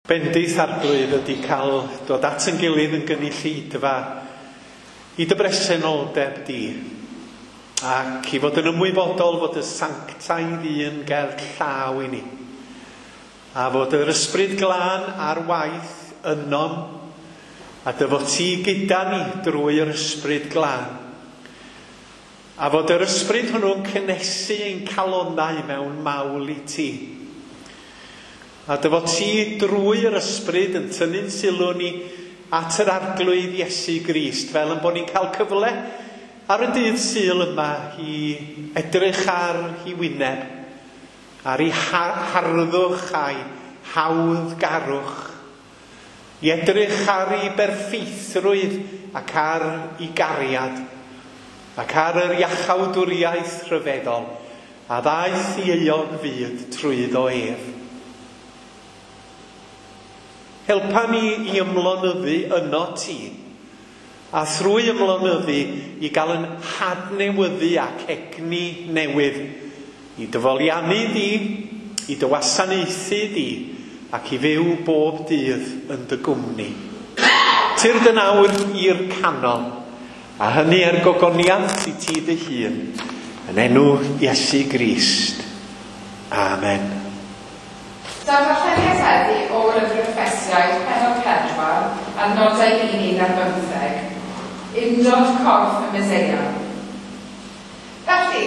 Bendith Arglwydd ydy cael dod at yn gilydd yn gynulleidfa i dy bresenoldeb di, ac i fod yn ymwybodol fod y sanctaidd un ger llaw i ni, a fod yr ysbryd glân ar waith ynom, a dy fod ti gyda ni drwy yr ysbryd glân, a fod yr ysbryd hwnnw'n cynnesu ein calonnau mewn mawl i ti. A dy fod ti drwy yr ysbryd yn tynnu'n sylw ni at yr Arglwydd Iesu Grist, fel yn bod ni'n cael cyfle ar y dydd Sul yma i edrych ar ei wyneb, ar ei harddwch a'i hawddgarwch, i edrych ar ei berffeithrwydd ac ar ei gariad, ac ar yr iachawdwriaeth rhyfeddol a ddaeth i euog fyd trwyddo ef. Helpa ni i ymlonyddu yno ti, a thrwy ymlonyddu i gael yn hadnewyddu ac egni newydd, i dyfoliannu di, i dy wasanaethu di, ac i fyw bob dydd yn dy gwmni. Tyrd yn awr i'r canol, a hynny er gogoniant i ti dy hun, yn enw Iesu Grist. Amen. Darlleniad heddi o Lyfr Effesiaid, pennod 4, adnodau 1 ar 15, Undod corff y Meseia. Felly,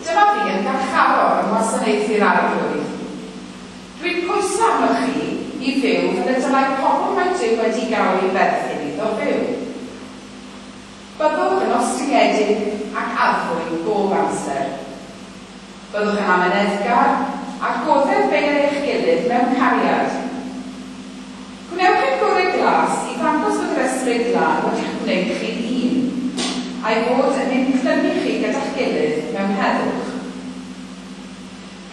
dyma fi yn garcharor yn wasanaethu'r Arglwydd. Dwi'n pwyso arnoch chi i fyw fel y dylai pobl mae Duw wedi gael ei berthyn iddo fyw. Byddwch yn ostyngedig ac addfwyn bob amser. Byddwch yn amyneddgar a goddef bei ar eich gilydd mewn cariad. Gwnewch eich gorau glas i ddangos fod yr ysbryd glân wedi'ch gwneud chi'n un, a'i fod yn ein clymu chi gyda'ch gilydd mewn heddwch.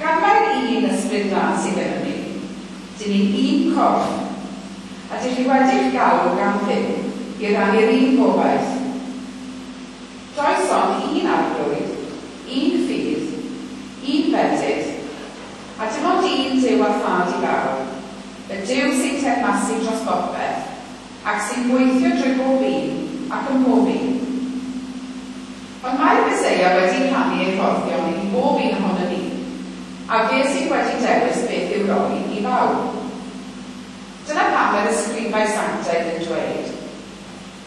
Gan mai'r un ysbryd glân sydd gyda ni, dyn ni'n un corff, a dych chi wedi'ch galw gan Dduw i rannu'r un gobaith. Does ond un Arglwydd, un ffydd, un fedydd, a dim ond un Duw a Thad i bawb, y Duw sy'n teyrnasu dros bopeth, ac sy'n gweithio drwy bob un ac ym mhob un. Ond mae'r Meseia wedi rhannu ei rhoddion i bob un ohonom ni, a fe sydd wedi dewis beth i'w roi i bawb. Dyna pam mae'r ysgrifau sanctaidd yn dweud,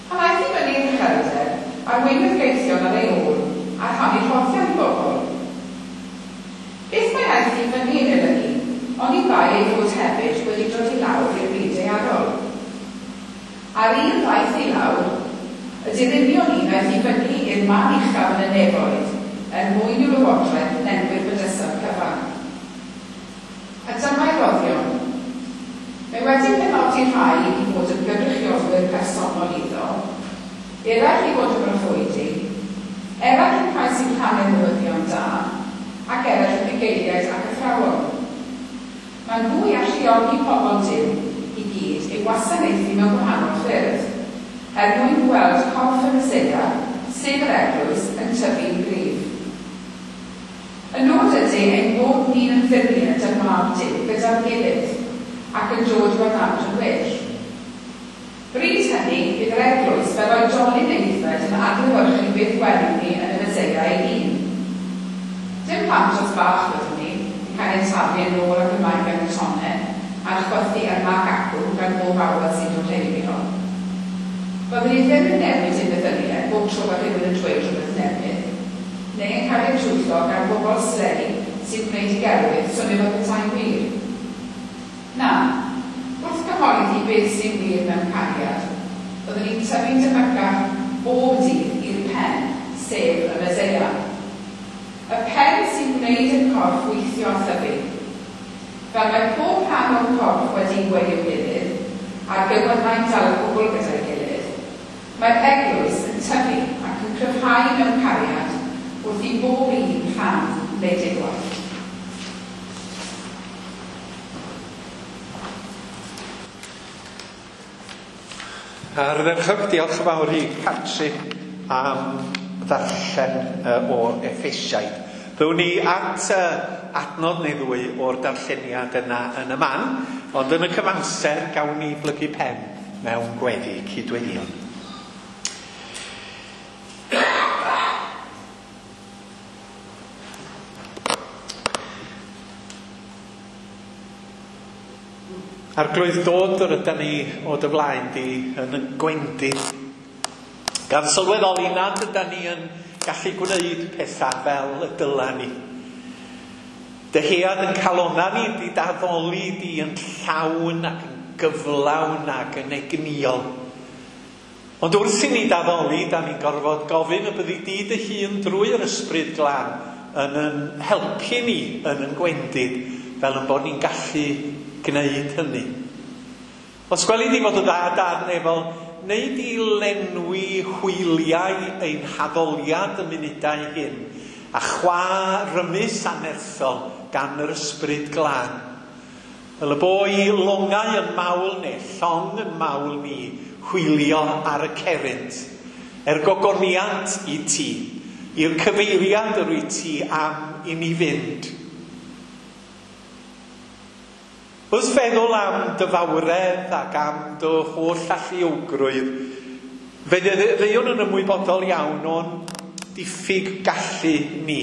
Pan aeth i fyny i'r uchelder, arweiniodd gaethion ar ei ôl, a rhannu rhoddion i bobl. Beth mae aeth i fyny yn olygu, oni bai ei fod hefyd wedi dod i lawr i'r byd daearol? A'r un ddaeth i lawr, ydy'r union un aeth i fyny i'r man uchaf yn y nefoedd, er mwyn i'w lywodraeth lenwi'r bydysawd cyfan. A dyma'i roddion. Mae wedi penodi rhai i fod yn gynrychiolwyr personol iddo, eraill i fod yn broffwydi, eraill yn rhai sy'n rhannu'r newyddion da, ac eraill yn fugeiliaid ac athrawon. Maen nhw i alluogi pobl Duw i gyd i'w wasanaethu mewn gwahanol ffyrdd, er mwyn gweld corff y Meseia, sef yr Eglwys, yn tyfu'n gryf. Y nod ydy ein bod ni'n ymddiried ym Mab Duw gyda'n gilydd, ac yn dod i'w adnabod yn well. Bryd hynny, bydd yr Eglwys fel oedolyn aeddfed yn adlewyrchu beth welwn ni yn y Meseia ei hun. Dim plantos bach fyddwn ni, yn cael ein taflu yn ôl ac ymlaen gan y tonne, a'n chwythu yma ac acw gan bob awel sy'n dod heibio. Fyddwn ni ddim yn newid ein meddyliau bob tro mae rhywun yn dweud rhywbeth newydd, neu yn cael ein twyllo gan bobl slei sy'n gwneud i gelwydd swnio fel petai'n wir. Na, wrth gyhoeddi beth sy'n wir mewn cariad, byddwn ni'n tyfu'n debycach bob dydd i'r pen, sef y Meseia. Y pen sy'n gwneud i'r corff weithio a thyfu. Fel mae pob rhan o'r corff wedi'i gweu i'w gilydd, a'r gewynnau'n dal y cwbl gyda'i gilydd, mae'r Eglwys yn tyfu ac yn cryfhau mewn cariad wrth i bob un rhan wneud ei gwaith. Ardderchog, diolch yn fawr i Catrin am ddarllen o'r Effesiaid. Ddown ni at adnod neu ddwy o'r darlleniad yna yn y man. Ond yn y cyfamser, gawn ni blygu pen mewn gweddi cydweddïon. Arglwydd, dod yr ydan ni o dy flaen di yn y gwendid, gan sylweddoli nad ydan ni yn gallu gwneud pethau fel y dyla ni. Dyhead yn calona ni di d'addoli di yn llawn ac yn gyflawn ac yn egnïol. Ond wrth i ni d'addoli, da ni'n gorfod gofyn y byddi di dy hun drwy'r Ysbryd Glân yn yn helpu ni yn yn gwendid, fel yn bod ni'n gallu gwneud hynny. Os gweli di fod y dda Dad nefol, neu di lenwi hwyliau ein haddoliad y munudau hyn, a chwa rymus anerthol gan yr Ysbryd Glân. Fel y bo i longau yn mawl neu llong yn mawl ni hwylio ar y cerrynt, er gogoniant i ti, i'r cyfeiriad yr wyt ti am i ni fynd. Wrth feddwl am dy fawredd ac am dy holl alluogrwydd, fe ddeuwn yn ymwybodol iawn o'n diffyg gallu ni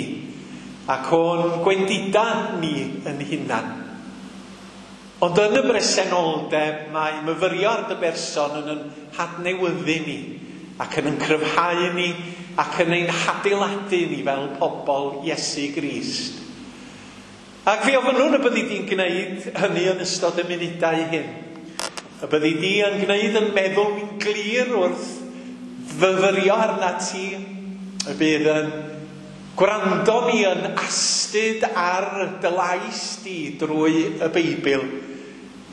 ac o'n gwendida ni yn hunan. Ond yn y bresenoldeb mae myfyrio ar dy berson yn yn hadnewyddu ni ac yn yn cryfhau ni ac yn ein hadeiladu ni fel pobl Iesu Grist. Ac fe ofynnwn y byddi di'n gwneud hynny yn ystod y munudau hyn. Y byddi di yn gwneud yn meddwl ni'n glir wrth fyfyrio arna ti. Y bydd yn gwrando ni yn astud ar dy lais di drwy y Beibl.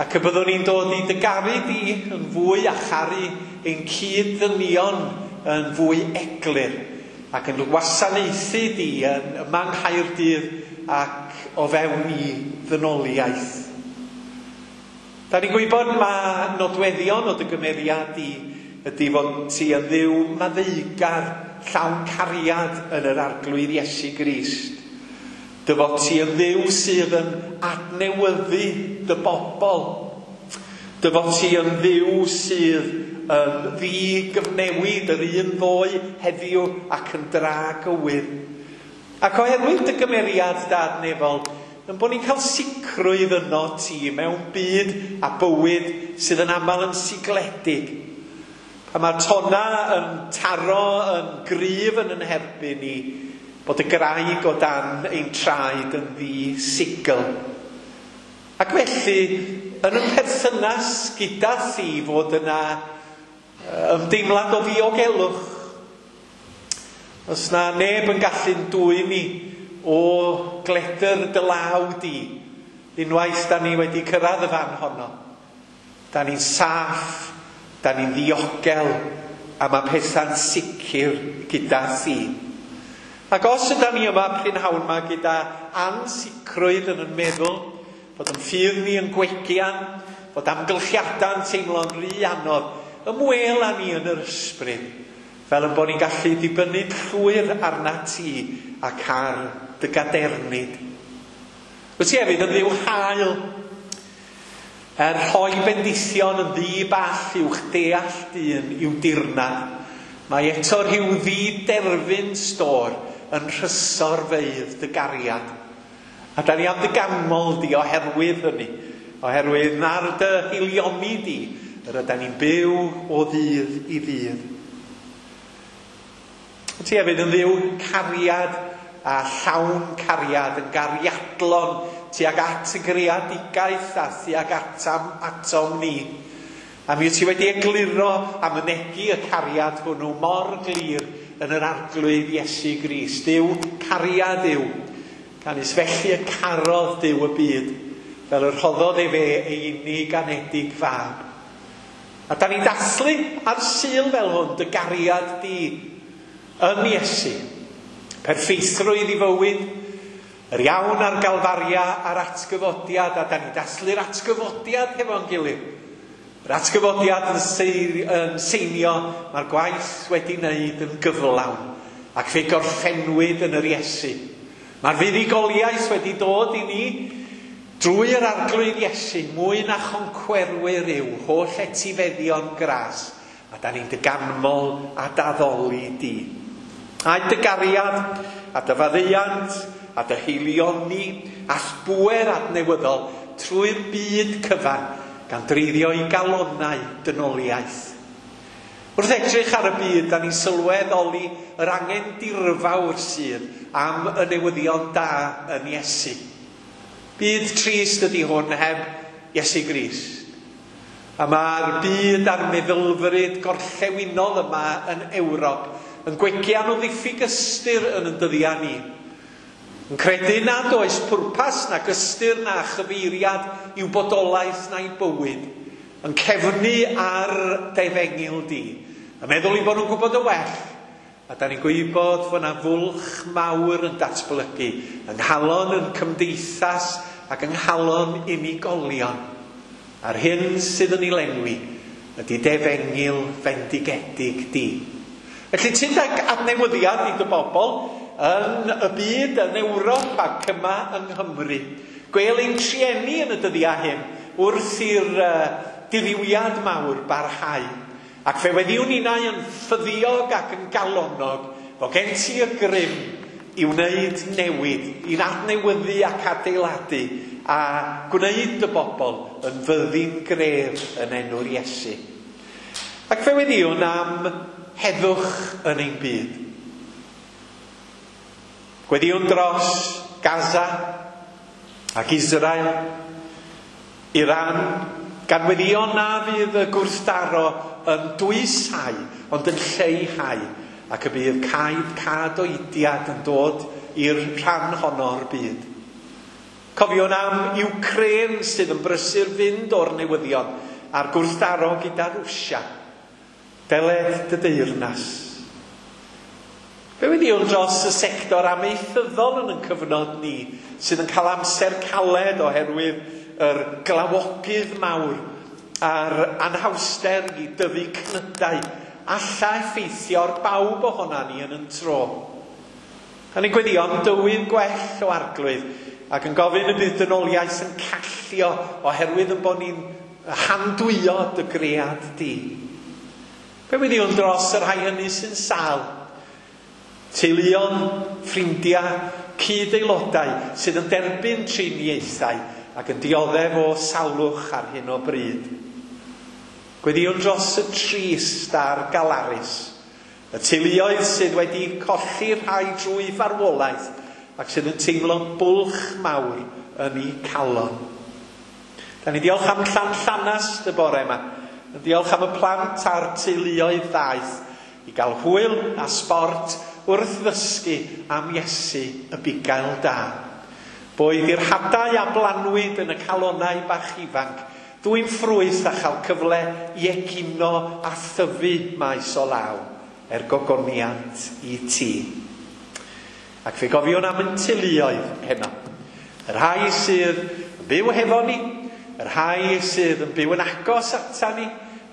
Ac y byddwn ni'n dod i dy garu di yn fwy a charu ein cyd-ddynion yn fwy eglur. Ac yn wasanaethu di yn yma yng Nghaerdydd ac o fewn i ddynoliaeth. Da ni'n gwybod ma nodweddion o dy gymeriad di ydy fod ti yn Dduw maddeugar, llawn cariad yn yr Arglwydd Iesu Grist. Dy fod ti yn Dduw sydd yn adnewyddu dy bobl. Dy fod ti yn Dduw sydd yn ddigyfnewid yr un ddoe heddiw ac yn dragywydd. Ac oherwydd dy gymeriad Dad nefol, yn bod ni'n cael sicrwydd yno ti mewn byd a bywyd sydd yn aml yn sigledig. Pan mae'r tonna yn taro yn gryf yn yn herbyn ni, bod y graig o dan ein traed yn ddi-sigl. Ac felly, yn y perthynas gyda thi fod yna ymdeimlad o ddiogelwch. Os na neb yn gallu'n dwyn ni o gledr dy law di, unwaith da ni wedi cyrraedd y fan honno, da ni'n saff, da ni'n ddiogel, a mae pethau'n sicr gyda thi. Ac os yda ni yma prynhawn yma gyda ansicrwydd yn yn meddwl, bod yn ffydd ni yn gwegian, bod amgylchiadau'n teimlo'n rhy anodd, ymwel â ni yn yr ysbryd, fel yn bod ni'n gallu dibynnu llwyr arna ti ac ar dy gadernid. Wyt ti hefyd yn Dduw hael, er rhoi bendithion yn ddi-ball i'wch deall dyn i'w dirnad. Mae eto rhyw ddi-derfyn stôr yn rhysorfeydd dy gariad. A da ni am dy ganmol di oherwydd hynny, oherwydd na'r dy hilioni di, yr ydan ni'n byw o ddydd i ddydd. Wyt ti hefyd yn Dduw cariad a llawn cariad yn gariadlon tuag at y greadigaeth a tuag atam atom ni. A mi wyt ti wedi egluro a mynegi y cariad hwnnw mor glir yn yr Arglwydd Iesu Grist. Duw cariad yw, canys felly y carodd Duw y byd, fel y rhoddodd efe ei unig anedig fab. A da ni'n dathlu ar Sul fel hwn dy gariad di yn Iesu. Perffeithrwydd i fywyd, yr iawn ar Galfaria a'r atgyfodiad, a da ni'n dathlu'r atgyfodiad hefo'n gilydd. Yr atgyfodiad yn seinio, mae'r gwaith wedi wneud yn gyflawn, ac fe gorffennwyd yn yr Iesu. Mae'r fuddugoliaeth wedi dod i ni Drwy yr Arglwydd Iesu, mwy na choncwerwyr yw holl etifeddion gras, a da ni'n dy ganmol a daddoli di. A'i dy gariad, a dy faddeuant, a dy haelioni, a'th bŵer adnewyddol trwy'r byd cyfan, gan dreiddio i galonnau dynoliaeth. Wrth edrych ar y byd, da ni'n sylweddoli yr angen dirfawr sydd am y newyddion da yn Iesu. Byd trist ydy hwn heb Iesu Grist. A mae'r byd a'r meddylfryd gorllewinol yma yn Ewrop yn gwegian o ddiffyg ystyr yn y dyddiau ni. Yn credu nad oes pwrpas nac ystyr na chyfeiriad i'w bodolaeth na'i bywyd. Yn cefnu ar dy efengyl di. Yn meddwl i bod nhw'n gwybod y well. A da ni'n gwybod fod yna fwlch mawr yn datblygu yng nghalon yn cymdeithas ac yng nghalon unigolion. A'r hyn sydd yn ei lenwi ydy dy efengyl fendigedig di. Felly ti'n ag adnewyddiad i dy bobl yn y byd, yn Ewrop ac yma yng Nghymru. Gwel ein trueni yn y dyddiau hyn wrth i'r dirywiad mawr barhau. Ac fe weddiwn ninnau yn ffyddiog ac yn galonog fod gen ti y grym i wneud newid, i'n adnewyddu ac adeiladu a gwneud y bobl yn fyddin gref yn enw'r Iesu. Ac fe weddiwn am heddwch yn ein byd. Gweddiwn dros Gaza ac Israel, Iran, gan weddio na fydd y gwrthdaro yn dwysau, ond yn lleihau, ac y bydd cadoediad yn dod i'r rhan honno o'r byd. Cofiwn am Ukraine sydd yn brysur fynd o'r newyddion a'r gwrthdaro gyda Rwsia. Deled dy deyrnas. Fe weddiwn dros y sector amaethyddol yn ein cyfnod ni, sydd yn cael amser caled oherwydd yr glawogydd mawr a'r anhawster i dyfu cnydau alla effeithio ar bawb ohona ni yn yn tro. A ni'n gweddio am dywydd gwell o Arglwydd ac yn gofyn y bydd dynoliaeth yn callio oherwydd yn bod ni'n handwyo dy gread di. Fe weddiwn dros y rhai hynny sy'n sâl, teuluon, ffrindiau, cyd-aelodau sydd yn derbyn triniaethau ac yn dioddef o salwch ar hyn o bryd. Gweddiwn dros y trist a'r galarus, y teuluoedd sydd wedi colli rhai drwy farwolaeth ac sydd yn teimlo bwlch mawr yn eu calon. Da ni diolch am Llanllanast y bore yma. Yn diolch am y plant a'r teuluoedd ddaeth i gael hwyl a sbort wrth ddysgu am Iesu y bugail da. Boed i'r hadau a blanwyd yn y calonnau bach ifanc, dwyn ffrwyth a chael cyfle i egino a thyfu maes o law, er gogoniant i ti. Ac fe gofiwn am yn teuluoedd heno. Y rhai sydd yn byw hefo ni, y rhai sydd yn byw yn agos ata ni,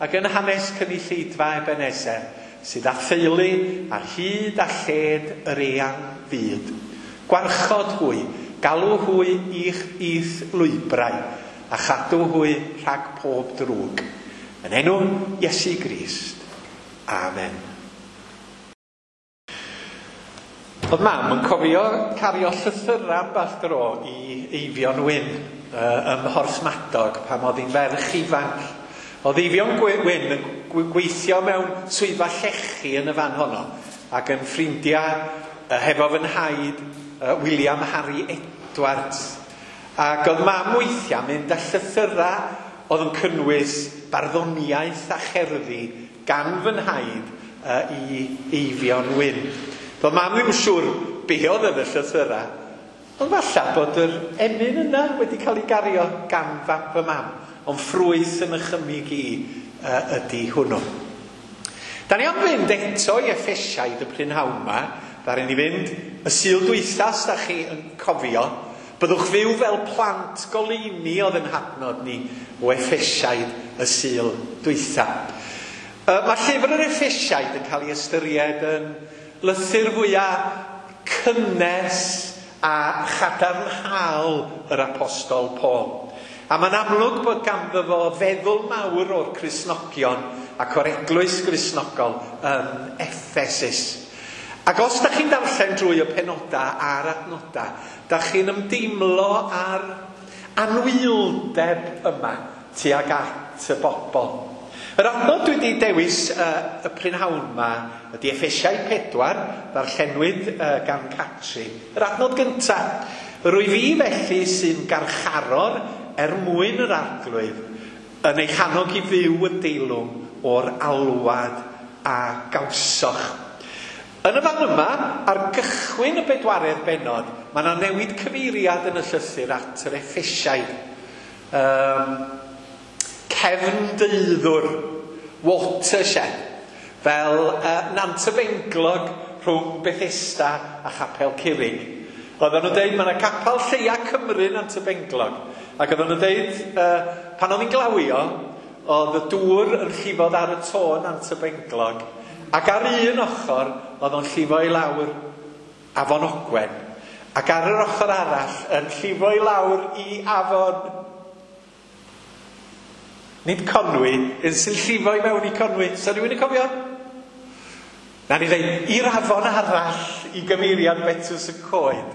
ac yn hanes cynulleidfa Ebenezer, sydd â theulu ar hyd a lled yr eang fyd. Gwarchod hwy, galw hwy i'ch i'th lwybrau, a chadw hwy rhag pob drwg. Yn enw Iesu Grist. Amen. Oedd mam yn cofio cario llythyrau ambell dro i Eifion Wyn ym Mhorthmadog pan oedd hi'n ferch ifanc. Oedd Eifion Wyn yn gweithio mewn swyddfa llechi yn y fan honno ac yn ffrindiau hefo fy nhaid William Harry Edwards. Ac oedd mam weithiau mynd â llythyrau oedd yn cynnwys barddoniaeth a cherddi gan fy nhaid i Eifion Wyn. Doedd mam ddim yn siŵr be oedd yn y llythyrau, ond falle bod yr emyn yna wedi cael ei gario gan fy mam, ond ffrwyth yn nychymyg i ydy hwnnw. Da ni am fynd eto i Effesiaid y prynhawn yma. Ddaru ni fynd y Sul dwytha, os da chi yn cofio. Byddwch fyw fel plant goleuni oedd yn hadnod ni o Effesiaid y Sul dwytha. Mae llyfr yr Effesiaid yn cael ei ystyried yn lythyr fwyaf cynnes a chadarnhaol yr Apostol Paul. A mae'n amlwg bod ganddo fo feddwl mawr o'r Cristnogion ac o'r eglwys Gristnogol yn Effesus. Ac os da chi'n darllen drwy y penoda a'r adnoda, da chi'n ymdeimlo ar anwyldeb yma tuag at y bobl. Yr adnod dwi wedi dewis y prynhawn yma ydy Effesiau 4, ddarllenwyd gan Catrin. Yr adnod gyntaf. Rwy fi felly sy'n garcharor er mwyn yr Arglwydd yn eich annog i fyw yn deilwng o'r alwad a gawsoch. Yn y fan yma, ar gychwyn y bedwaredd bennod, mae yna newid cyfeiriad yn y llythyr at yr Effesiaid. Cefn deuddwr, watershed, fel Nant y Benglog rhwng Bethesda a Chapel Curig. Oedden nhw'n deud, mae yna capel lleia Cymru Nant y Benglog. Ac oedden nhw'n deud, pan oedd hi'n glawio, oedd y dŵr yn llifo ar y to Nant y Benglog. Ac ar un ochr, oedd o'n llifo i lawr Afon Ogwen. Ac ar yr ochr arall, yn llifo i lawr i Afon... Nid Conwy, yn sy'n llifo i mewn i Conwy. Sa rhywun yn cofio? Na ni ddeud, i'r afon arall i gyfeiriad Betws y Coed.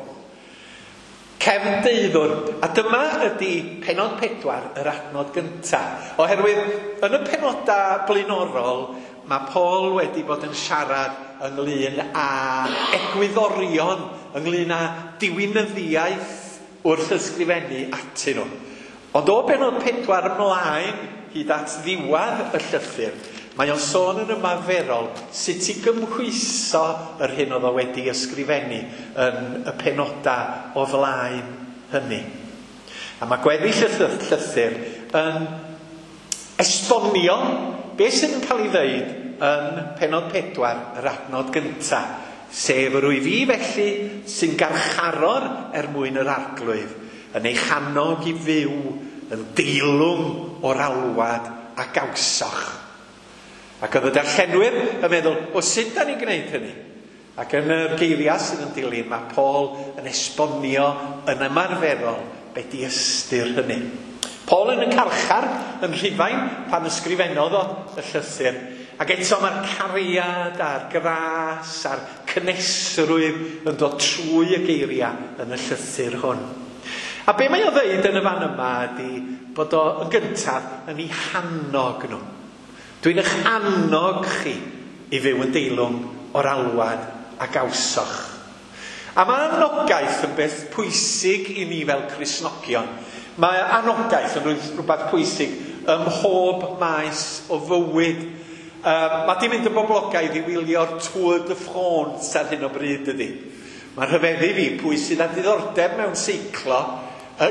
Cefn deuddwr. A dyma ydy pennod 4, yr adnod gyntaf. Oherwydd, yn y penoda blaenorol, mae Paul wedi bod yn siarad ynglyn â egwyddorion, ynglyn â diwinyddiaeth wrth ysgrifennu atyn nhw. Ond o bennod 4 ymlaen, hyd at ddiwedd y llythyr, mae o'n sôn yn ymarferol sut i gymhwyso yr hyn oedd o wedi ysgrifennu yn y penoda o flaen hynny. A mae gweddill y llythyr yn esbonio beth sydd yn cael ei ddeud yn pennod 4, yr adnod gyntaf, sef yr wyf fi felly sy'n garcharor er mwyn yr Arglwydd, yn eich annog i fyw yn deilwng o'r alwad a gawsoch. Ac oedd y darllenwyr yn meddwl, o sut da ni'n gwneud hynny? Ac yn yr geiriau sydd yn dilyn, mae Paul yn esbonio yn ymarferol be di ystyr hynny. Paul yn y carchar yn Rhufain pan ysgrifennodd o y llythyr. Ac eto mae'r cariad a'r gras a'r cynhesrwydd yn dod trwy y geiriau yn y llythyr hwn. A be mae o ddeud yn y fan yma ydy bod o yn gyntaf yn ei hannog nhw. Dwi'n eich annog chi i fyw yn deilwng o'r alwad a gawsoch. A mae anogaeth yn beth pwysig i ni fel Cristnogion. Mae anogaeth yn rhywbeth pwysig ym mhob maes o fywyd. Mae di mynd yn boblogaidd i wylio'r Tour de France ar hyn o bryd ydy. Mae'n rhyfeddu fi pwy sydd â diddordeb mewn seiclo,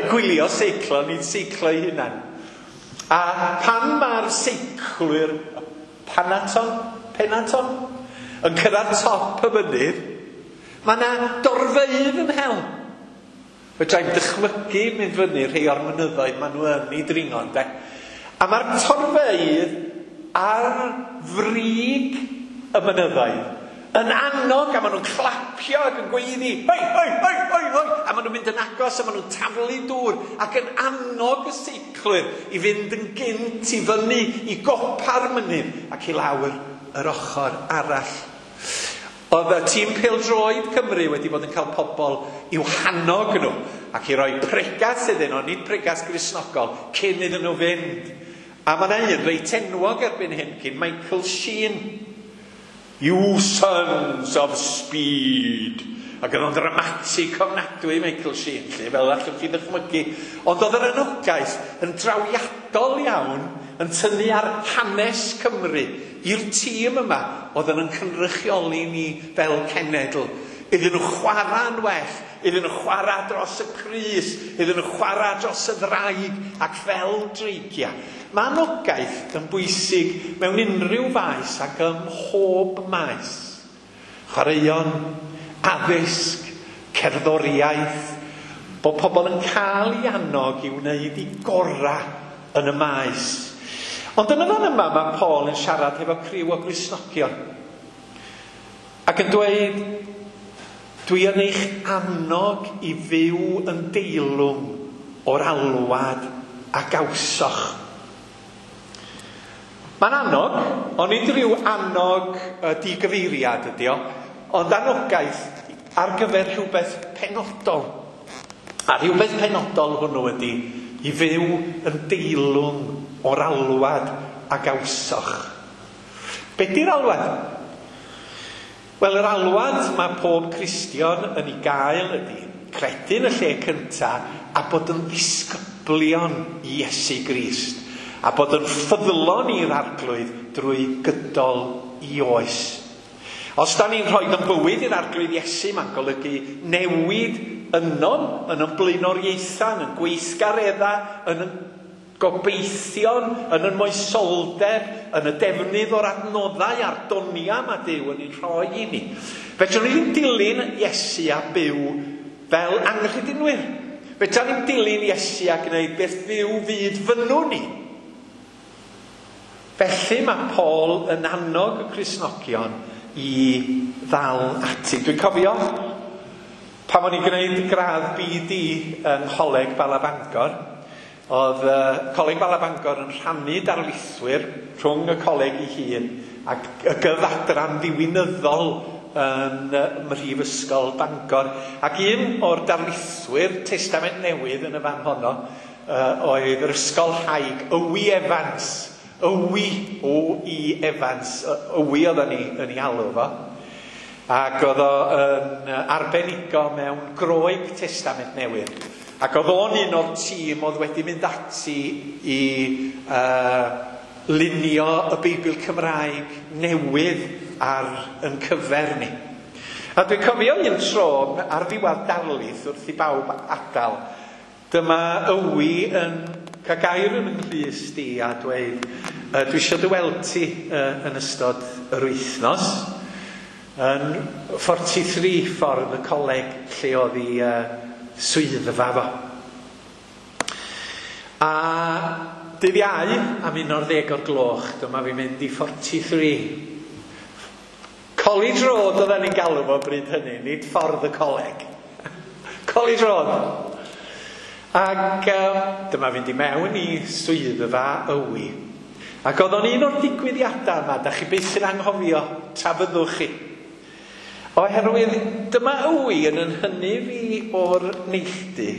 gwylio seiclo, nid seiclo ei hunan. A pan mae'r seiclwyr Penaton, yn cyrraedd top y mynydd, mae yna dorfeydd yn hel. Fedra i'm dychmygu mynd fyny rhai o'r mynyddoedd maen nhw yn ei dringo, ynde? A mae'r torfeydd ar frig y mynyddoedd yn annog, a maen nhw'n clapio ac yn gweiddi, hoi, hoi, hoi, hoi, hoi, a maen nhw'n mynd yn agos a maen nhw'n taflu dŵr ac yn annog y seiclwyr i fynd yn gynt i fyny i gopa'r mynydd ac i lawr yr ochr arall. Oedd y tîm pêl-droed Cymru wedi bod yn cael pobl i'w hannog nhw ac i roi pregas iddyn nhw, nid pregas Gristnogol, cyn iddyn nhw fynd. A mae yna un reit enwog erbyn hyn, cyn Michael Sheen. You sons of speed. Ac oedd o'n dramatig ofnadwy Michael Sheen, lle, fel allwch chi ddychmygu. Ond oedd yr anogaeth yn drawiadol iawn yn tynnu ar hanes Cymru i'r tîm yma oedd yn cynrychioli ni fel cenedl. Iddyn nhw chwarae'n well, iddyn nhw chwarae dros y crys, iddyn nhw chwarae dros y ddraig ac fel dreigiau. Mae anogaeth yn bwysig mewn unrhyw faes ac ym mhob maes. Chwaraeon, addysg, cerddoriaeth, bod pobl yn cael ei annog i wneud i gorau yn y maes. Ond yn y fan yma mae Paul yn siarad efo criw o Gristnogion ac yn dweud, Dwi yn eich annog i fyw yn deilwng o'r alwad a gawsoch. Mae'n annog, ond nid rhyw annog digyfeiriad ydi o, ond anogaeth ar gyfer rhywbeth penodol. A rhywbeth penodol hwnnw ydi i fyw yn deilwng o'r alwad a gawsoch. Be di'r alwad? Wel, yr alwad mae pob Cristion yn ei gael ydi credu yn y lle cynta a bod yn ddisgyblion i Iesu Grist a bod yn ffyddlon i'r Arglwydd drwy gydol i oes. Os da ni'n rhoi yn bywyd i'r Arglwydd Iesu, mae'n golygu newid ynom, yn yn blaenoriaethau, yn yn gweithgareddau, yn yn gobeithion, yn yn moesoldeb, yn y defnydd o'r adnoddau a'r doniau mae Duw yn ei rhoi i ni. Fedrwn ni ddim dilyn Iesu a byw fel anghredinwyr. Fedrwn ni'n dilyn Iesu a gwneud beth fyw fyd fynnwn ni. Felly mae Paul yn annog y Cristnogion i ddal ati. Dwi'n cofio pan o'n i'n gwneud gradd BD yng Ngholeg Bala Bangor, oedd Coleg Bala Bangor yn rhannu darlithwyr rhwng y coleg ei hun ac y gyfadran ddiwinyddol yn Mhrifysgol Bangor. Ac un o'r darlithwyr Testament Newydd yn y fan honno oedd yr ysgolhaig Owi Evans. Owi, O-I Evans, Owi oedden ni yn ei alw fo. Ac oedd o yn arbenigo mewn Groeg Testament Newydd. Ac oedd o'n un o'r tîm oedd wedi mynd ati i lunio y Beibl Cymraeg newydd ar yn cyfer ni. A dwi'n cofio un tro ar ddiwedd darlith wrth i bawb adael. Dyma Owi yn cael gair yn nghlust i a dweud, dwi eisiau dy weld ti yn ystod yr wythnos yn 43 ffordd y coleg lle oedd ei swyddfa fo. A dydd Iau am 11 o'r gloch, dyma fi'n mynd i 43. College Road oedden ni'n galw fo bryd hynny, nid ffordd y coleg. College Road. Ac dyma fynd i mewn i swyddfa Owi. Ac oedd o'n un o'r digwyddiadau yma, da chi byth yn anghofio, tra fyddwch chi. Oherwydd dyma Owi yn hynny fi o'r neilltu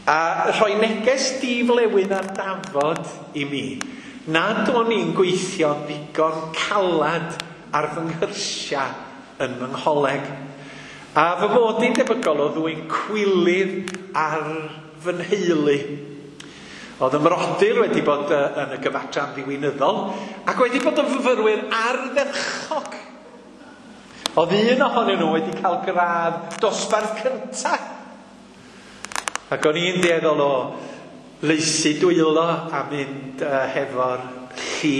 a rhoi neges diflewyn ar dafod i mi nad o'n i'n gweithio ddigon calad ar fy nghyrsiau yn fy ngholeg. A fy mod i'n debygol o ddwyn cwilydd ar fy nheulu. Oedd y mrodyr wedi bod yn y gyfadran ddiwinyddol ac wedi bod yn fyfyrwyr ardderchog. Oedd un ohonyn nhw wedi cael gradd dosbarth cyntaf. Ac o'n i'n dueddol o laesu dwylo a mynd hefo'r lli.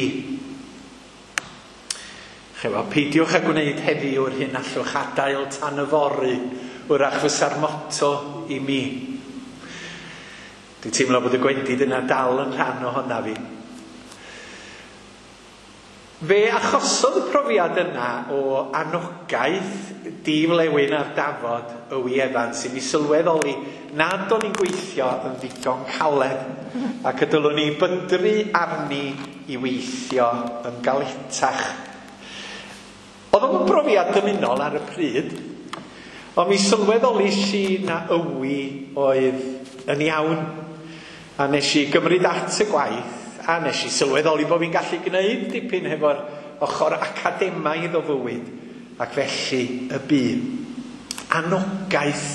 Chefo, peidiwch â gwneud heddiw'r hyn allwch adael tan yfory, wrach fysa'r motto i mi. Dwi'n teimlo bod y gwendid yna dal yn rhan ohona fi. Fe achosodd y profiad yna o anogaeth diflewyn ar dafod Owi Evans i mi sylweddoli nad o'n i'n gweithio yn ddigon caled ac y dylwn i bydru arni i weithio yn galetach. Oedd o'n brofiad dymunol ar y pryd, ond mi sylweddolis i na Owi oedd yn iawn, a nes i gymryd at y gwaith, a nes i sylweddoli bod fi'n gallu gwneud dipyn hefo'r ochr academaidd o fywyd, ac felly y bu. Anogaeth.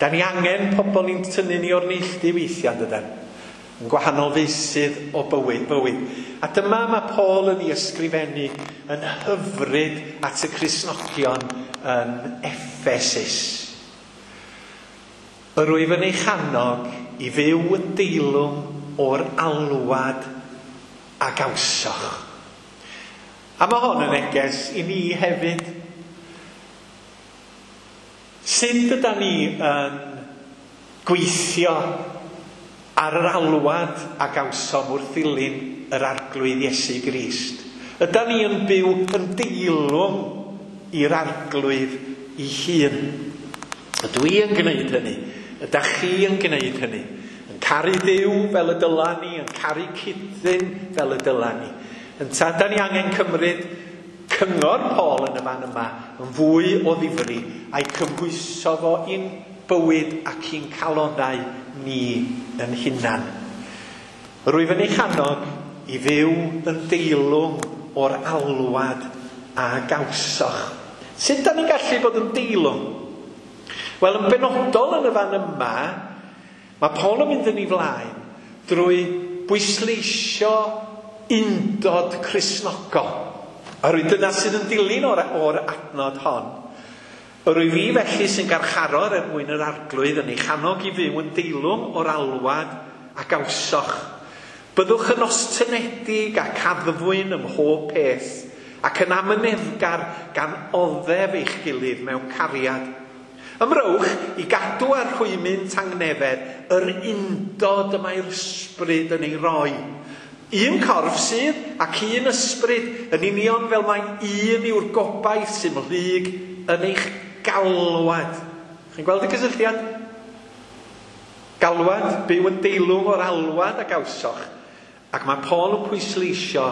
Da ni angen pobl i'n tynnu ni o'r neilltu weithiau, dydan? Yn gwahanol feysydd o bywyd. A dyma mae Paul yn ei ysgrifennu yn hyfryd at y Cristnogion yn Ephesus. Yr wyf yn eich annog i fyw yn deilwng o'r alwad a gawsoch. A mae hon yn neges i ni hefyd. Sut ydan ni yn gweithio ar yr alwad a gawsom wrth ddilyn yr Arglwydd Iesu Grist? Ydan ni yn byw yn deilwng i'r Arglwydd ei hun. Ydw i yn gwneud hynny? Ydych chi yn gwneud hynny? Yn caru Dduw fel y dyla ni, yn caru cyd-ddyn fel y dyla ni. Ynta, da ni angen cymryd cyngor Paul yn y fan yma yn fwy o ddifri a'i cymhwyso fo i'n bywyd ac i'n calonau ni yn hunan. Rwyf yn eich annog i fyw yn deilwng o'r alwad a gawsoch. Sut da ni'n gallu bod yn deilwng? Wel, yn benodol yn y fan yma, mae Paul yn mynd yn ei flaen drwy bwysleisio undod Cristnogol. Oherwydd dyna sydd yn dilyn o'r adnod hon. Rwyf fi felly sy'n garcharor er mwyn yr Arglwydd yn eich annog i fyw yn deilwng o'r alwad a gawsoch. Byddwch yn ostynedig ac addfwyn ym mhob peth, ac yn amyneddgar gan oddef eich gilydd mewn cariad. Ymrowch i gadw ar rhwymyn tangnefedd yr undod y mae'r ysbryd yn ei roi. Un corff sydd ac un ysbryd, yn union fel mai un yw'r gobaith sy'n mhlyg yn eich galwad. Chi'n gweld y cysylltiad? Galwad, byw yn deilwng o'r alwad a gawsoch. Ac mae Paul yn pwysleisio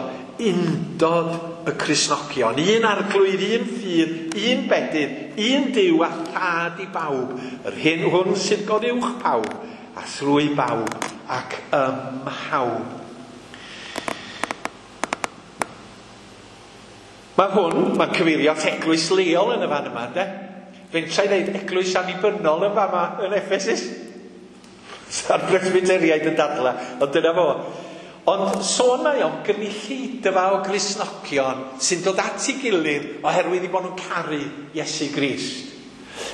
undod y Cristnogion. Un Arglwydd, un ffydd, un bedydd, un Duw a thad i bawb. Yr hyn hwn sydd goruwch pawb, a thrwy bawb ac ym mhawb. Mae hwn, mae'n cyfeirio at eglwys leol yn y fan yma, ynde? Fentra i ddeud eglwys annibynnol yn fama yn Ephesus. Sa'r presbyteriaid yn dadla, ond dyna fo. Ond sôn mae o'n gynulleidfa o Gristnogion sy'n dod at ei gilydd oherwydd eu bod nhw'n caru Iesu Grist.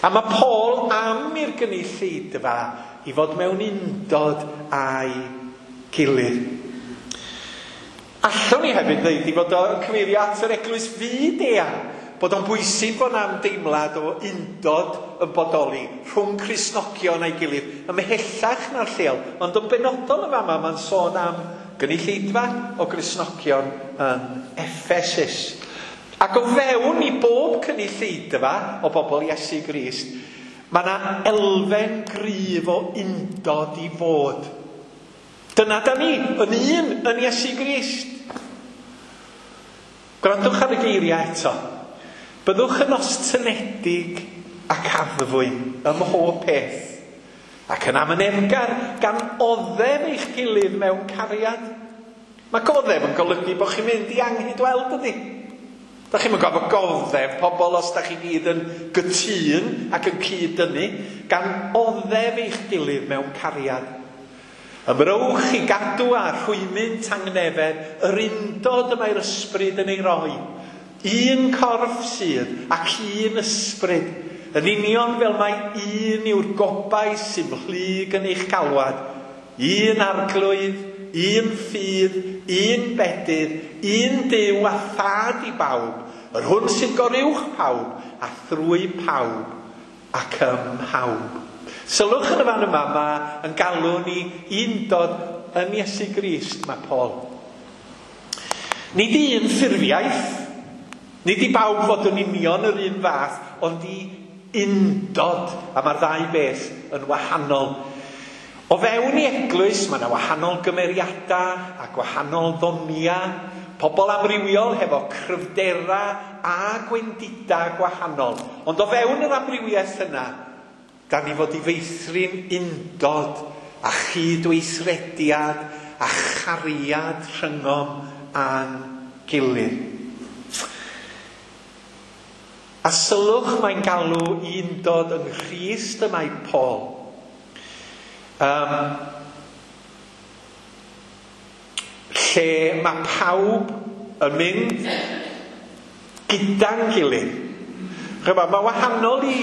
A mae Paul am i'r gynulleidfa i fod mewn undod â'i gilydd. Allwn ni hefyd ddeud i fod o'n cyfeirio at yr eglwys fyd-eang, bod o'n bwysig bod 'na ymdeimlad o undod yn bodoli rhwng Cristnogion a'i gilydd, ymhellach na'r lleol, ond yn benodol yn fama mae'n sôn am gynulleidfa o Gristnogion yn Ephesus. Ac o fewn i bob cynulleidfa o bobl Iesu Grist, mae yna elfen gryf o undod i fod. Dyna da ni, yn un yn Iesu Grist. Gwrandwch ar y geiriau eto. Byddwch yn ostynedig ac addfwyn ym mhob peth, ac yn amyneddgar gan oddef eich gilydd mewn cariad. Mae goddef yn golygu bod chi'n mynd i anghydweld, ydy? Da chi'n gorfod goddef pobl os da chi gyd yn gytûn ac yn cyd-dynnu, gan oddef eich gilydd mewn cariad. Ymrowch i gadw a rhwymyn tangnefedd yr undod y mae'r ysbryd yn ei roi. Un corff sydd ac un ysbryd, yn union fel mai un yw'r gobaith sy'n mhlyg yn eich galwad. Un Arglwydd, un ffydd, un bedydd, un Duw a thad i bawb, yr hwn sy'n goruwch pawb a thrwy pawb ac ym mhawb. Sylwch yn y fan yma, mae yn galw ni undod yn Iesu Grist, mae Paul. Nid un ffurfiaeth, nid i bawb fod yn union yr un fath, ond i undod, a mae'r ddau beth yn wahanol. O fewn i eglwys, mae yna wahanol gymeriadau a gwahanol ddoniau, pobl amrywiol hefo cryfdera a gwendidau gwahanol. Ond o fewn yr amrywiaeth yna, da ni fod i feithrin undod a chydweithrediad a chariad rhyngom a'n gilydd. A sylwch mae'n galw i undod yng Nghrist y mae Paul. Lle mae pawb yn mynd gyda'n gilydd. Chymod, mae wahanol i...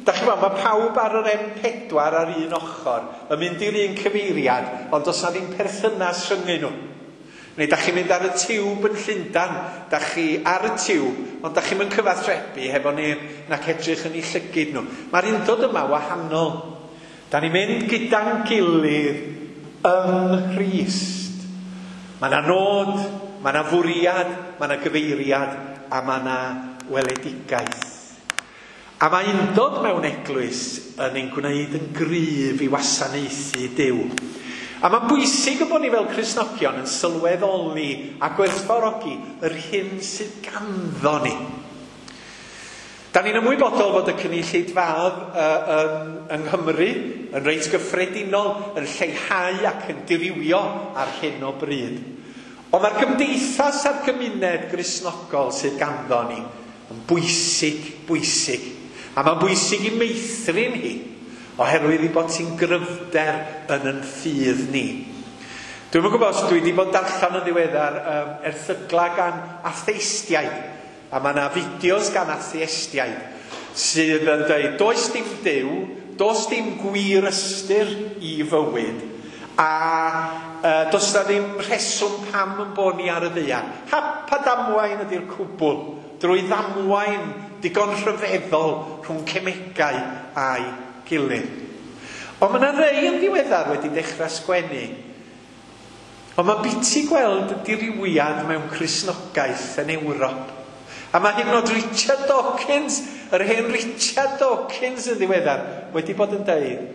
Da chi'n gwybod, mae pawb ar yr M4 ar un ochr yn mynd i'r un cyfeiriad, ond does na ddim perthynas rhyngyn nhw. Neu da chi'n mynd ar y tiwb yn Llundain, da chi ar y tiwb, ond da chi'n mynd cyfathrebu hefo neb nac edrych yn eu llygid nhw. Mae'r undod yma wahanol. Da ni'n mynd gyda'n gilydd yng Nghrist. Mae yna nod, mae yna fwriad, mae yna gyfeiriad, a mae yna weledigaeth. A mae undod mewn eglwys yn ein gwneud yn gryf i wasanaethu Duw. A mae'n bwysig y bod ni fel Cristnogion yn sylweddoli a gwerthfawrogi yr hyn sydd ganddo ni. Da ni'n ymwybodol fod y cynulleidfaoedd yng Nghymru yn reit gyffredinol yn lleihau ac yn dirywio ar hyn o bryd. Ond mae'r gymdeithas a'r gymuned Gristnogol sydd ganddo ni yn bwysig, bwysig. A mae'n bwysig i meithrin hi, oherwydd ei bod hi'n gryfder yn yn ffydd ni. Dwi'm yn gwybod os dwi wedi bod darllen yn ddiweddar erthygla gan atheistiaid. A mae yna fideos gan atheistiaid sydd yn dweud, does dim Duw, does dim gwir ystyr i fywyd, a does na ddim rheswm pam yn bod ni ar y ddaear. Hap a damwain ydy'r cwbl, drwy ddamwain digon rhyfeddol rhwng cemegau a'i gilydd. Ond mae yna rei yn ddiweddar wedi dechrau sgwennu. Ond mae'n biti gweld y dirywiad mewn Cristnogaeth yn Ewrop. A mae hyd yn oed Richard Dawkins, yr hen Richard Dawkins yn ddiweddar, wedi bod yn deud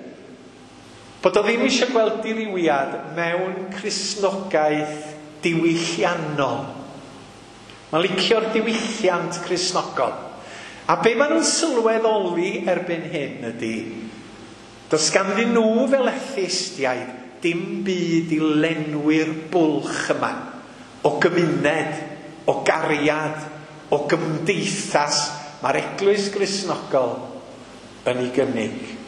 bod o ddim eisiau gweld dirywiad mewn Cristnogaeth diwylliannol. Mae'n licio'r diwylliant Cristnogol. A be maen nhw'n sylweddoli erbyn hyn ydy, does ganddyn nhw fel atheistiaid dim byd i lenwi'r bwlch yma o gymuned, o gariad, o gymdeithas mae'r Eglwys Gristnogol yn ei gynnig.